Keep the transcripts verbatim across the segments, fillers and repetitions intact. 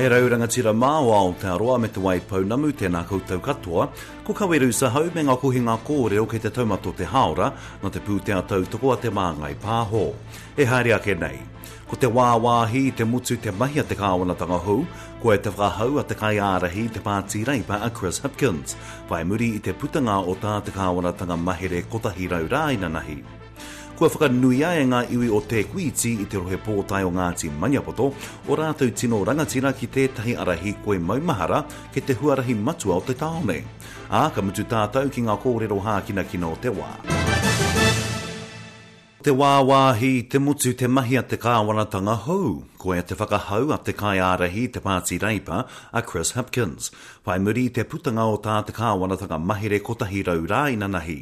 E rau rangatira mā o Aotearoa me Te Waipounamu, tēnā koutou katoa. Ko Kaweru Sahau me ngā kohinga kōrero kei te taumata o te hāora, nā te pūtea tautoko a Te Māngai Pāho. E haere ake nei. Ko te wāwāhi i te motu te mahi a te kāwanatanga hou, koia te whakahau a te kaiārahi i te Pāti Reipa a Chris Hipkins, whai muri i te putanga o tā te kāwanatanga mahere kotahi rau rā inanahi. Kua whakanuia e ngā iwi o Te Kuiti i te rohe pōtae o Ngāti Maniapoto o rātou tino rangatira ki tētahi ara hīkoi maumahara kei te huarahi matua o te tāone. Ā, ka mutu tātou ki ngā kōrero hākinakina o te wā. Te wāwāhi i te motu te mahi a te kāwanatanga hou. Koia te whakahau a te kaiārahi i te Pāti Reipa a Chris Hipkins, whai muri i te putanga o tā te kāwanatanga mahere kotahi rau rā inanahi.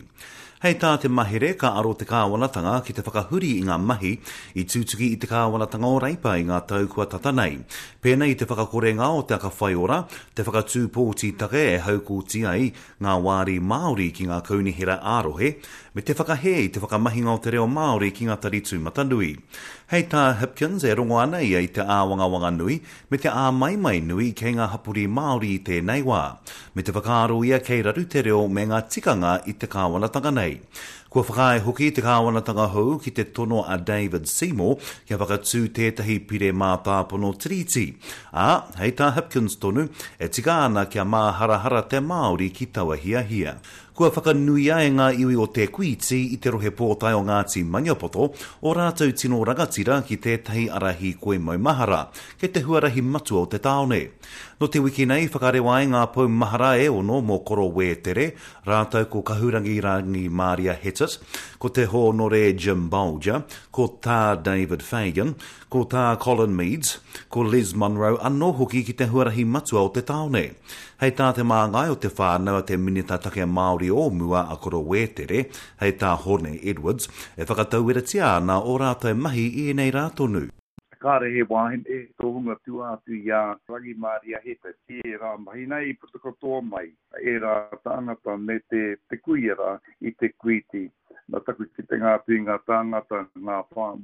Hei tā te mahere, ka aro te kāwanatanga ki te whakahuri i ngā mahi i tutuki i te kāwanatanga o Reipa i ngā tau kua tata nei. Pēnei i te whakakorenga o te aka whaiora, te whakatū pōtitake e haukoti ai ngā wāri Māori ki ngā kaunihera ā-rohe, me te whakahē i te whakamahinga o te reo Māori ki ngā tari tūmatanui. Hei tā Hipkins, e rongo ana ia i te āwangawanga nui me te āmaimai nui kei ngā hapori Māori i tēnei wā, me te whakaaro ia kei raru te reo me ngā tikanga i te kāwanatanga nei. Kua whakaae hoki te kāwanatanga hou ki te tono a David Seymour kia whakatū tētahi pire mātāpono tiriti. Ā, hei tā Hipkins tonu, e tika ana kia māharahara te Māori ki taua hiahia. Kua whakanuia e ngā iwi o Te Kuiti i te rohe pōtae o Ngāti Maniapoto o rātou tino rangatira ki tētahi ara hīkoi maumahara, kei te huarahi matua o te tāone. Nō te wiki nei whakarewa ai ngā pou mahara e ono mō Koro Wētere, rātou ko Kahurangi Rangi Māria Hetet, ko Te Hōnore Jim Bolger, ko Tā David Fagan, ko Tā Colin Meads, ko Les Munro anō hoki ki te huarahi matua o te tāone. Hei tā te māngai o te whānau a te Minita Take Māori o mua a Koro Wētere, hei tā Hone Edwards, e whakatauiratia ana o rātou mahi i ēnei rā tonu. Kāre he wāhine tohunga tua atu i a Rangi Māria Hetet. Tērā mahi nei i puta katoa mai ērā tāngata me te, te kuia rā i Te Kuiti. Nā taku kitenga atu i ngā tāngata, ngā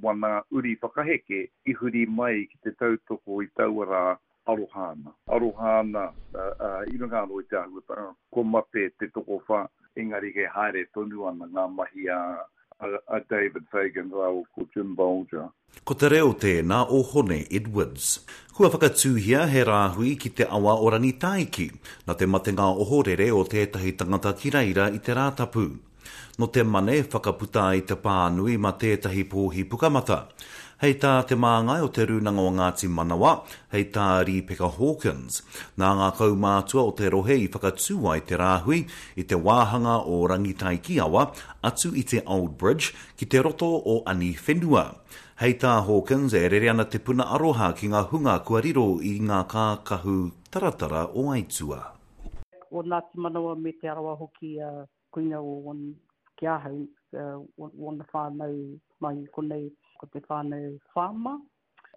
wana uri whakaheke i huri mai ki te tautoko i taua rā aroha ana. Aroha ana, i runga anō i te āhuatanga, ko mate te tokowhā, engari he haere tonu ana ngā mahi a, a, a David Fagan rāua ko Jim Bolger. Ko te reo tēnā o Hone Edwards. Kua whakatūhia he rāhui ki te awa o Rangitāiki, nā te matenga ohorere o tētahi tangata ki reira i te Rātapu. Nō te mane whakaputa ai te pānui mā tētahi pōhi pukamata. Hei tā te māngai o te Rūnanga o Ngāti Manawa, hei tā Rīpeka Hawkins. Nā ngā kaumātua o te rohe i whakatū ai te rāhui i te wāhanga o Rangitaiki awa atu i te Old Bridge ki te roto o Aniwhenua. Hei tā Hawkins, e rere ana te puna aroha ki ngā hunga kua riro i ngā kākahu taratara o Aitua. O Ngāti Manawa me Te Arawa hoki, uh, koina o wan, ki ahau, uh, wana whānau mai konei, ko te whānau whāma,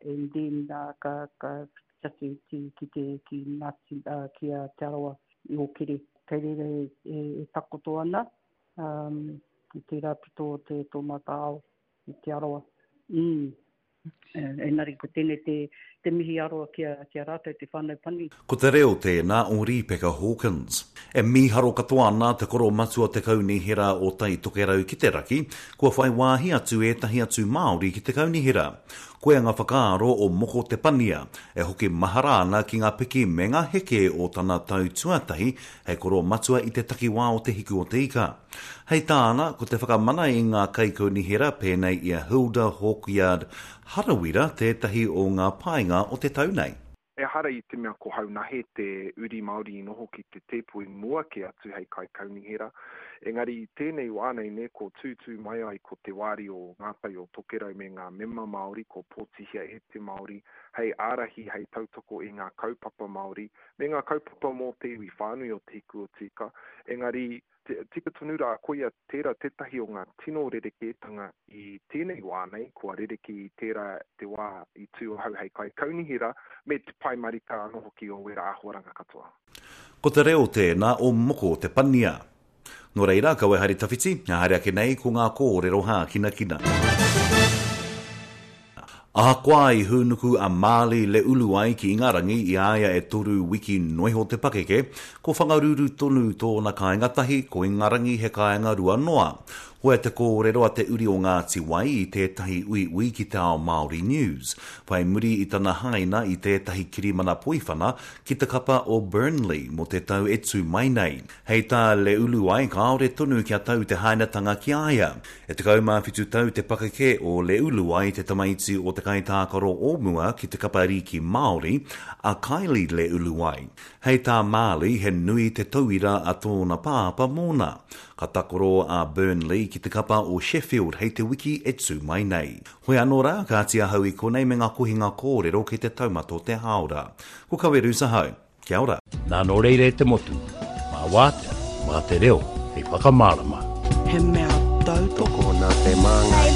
and then uh, ka, ka whiti atu ki, ki te, ki Ngāti, uh, ki a Te Arawa i Ōkere. Kei reira e, e, e takoto ana, um, i tērā pito o te tō mātou ao i Te Arawa. Mm. Engari ko tēnei te, te mihi aroa ki a, ki a rātou te whānau pani. Ko te reo tēnā o Rīpeka Hawkins. E mīharo katoa ana te koro matua te kaunihera o Tai Tokerau ki te raki, kua whai wāhi atu ētahi atu Māori ki te kaunihera. Koia ngā whakaaro o Moko Te Pania, e hoki mahara ana ki ngā piki me ngā heke o tana tau tuatahi hei koro matua i te takiwā o Te Hiku o Te Ika. Hei tāna, ko te whakamana i ngā kaikaunihera pēnei i a Hilda Hawkyard Harawira tētahi o ngā painga o te tau nei. Ehara i te mea ko Haunahe te uri Māori i noho ki te tēpu i mua kē atu hei kaikaunihera. Engari i tēnei wā nei ne, ko tūtū mai ai ko te wāri o Ngā Tai o Tokerau me ngā mema Māori, ko pōtihia e te Māori, hei ārahi, hei tautoko i ngā kaupapa Māori, me ngā kaupapa mō te iwi whānui o Te Hiku o Te Ika. Engari, tika tonu rā, koia tērā tētahi o ngā tino rerekētanga i tēnei wā nei, kua rereke i tērā te wā i tū ahau hei kaikaunihera, me te pai marika anō hoki o wera āhuaranga katoa. Ko te reo tēnā o Moko Te Pania. Nō reira, kaua e haere tawhiti, haere ake nei ko ngā kōrero hākinakina. Ahakoa i hūnuku a Marley Leuluai ki Ingarangi i a ia e toru wiki noiho te pakeke, ko Whangaruru tonu tōna kāinga tahi, ko Ingarangi he kāinga rua noa. Koia te kōrero a te uri o Ngāti Wai i tētahi uiui ki Te Ao Māori News, whai muri i tana haina i tētahi kirimana poiwhana ki te kapa o Burnley mō te tau e tū mai nei. Hei tā Leuluai kāore tonu kia tau te hainatanga ki a ia. E tekau mā whitu tau te pakeke o Leuluai te tamaiti o te kaitākaro o mua ki te kapa rīki Māori, a Kylie Leuluai. Hei tā Marley he nui te tauira a tōna pāpā mōna. Ka takoro a Burnley ki te kapa o Sheffield hei te wiki e tū mai nei. Hoi anō rā, kāti ahau i konei me ngā kohinga kōrero kei te taumata o te hāora. Ko Kawerusa hau. Kia ora. Nā nō reira e te motu, mā wātea, mā te reo hei whakamārama. He mea tautoko. Tokona te māngai.